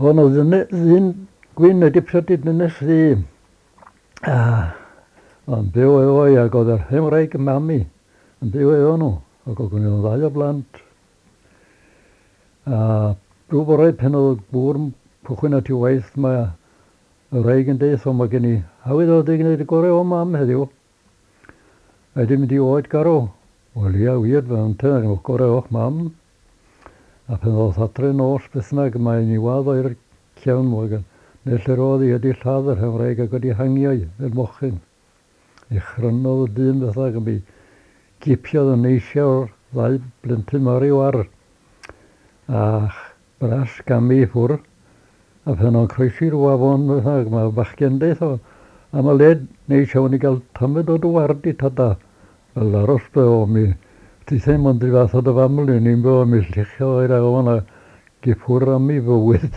O'n oedd ddyn gwyn wedi priodi dynes ddu. A o'n byw efo i ac oedd yr hen wraig yn mami yn byw efo nhw. Ac oedd gen nhw ddau o blant. A rhyw bore pan oedd y gŵr yn cychwyn at ei waith mae y wraig yn deud o mae gen i awydd o wedi gwneud y gorau o mam heddiw. A wedi mynd i oed garw. Wel ia wir, fe ynte, gorau o'ch mam. A phen ddoth adre nos beth bynnag, mae'n i wadd o i'r cefn mwg, neu lle'r oedd hi wedi lladd yr hen wraig ac wedi hangio hi fel mochyn. Ei chrynodd y dyn beth bynnag, mi gipiodd y neisia o'r ddau blentyn mawr i'w ar. A bras gamu i ffwr. A phen o'n croesi'r afon beth bynnag, mae bachgen deith o, a mae led neis iawn i gael tamed o dy ward i tada. Wel aros be o mi tithau mond 'run fath â dy fam ni'n byw mi lluchio i'r afon a gyffwrdd am ei fywyd.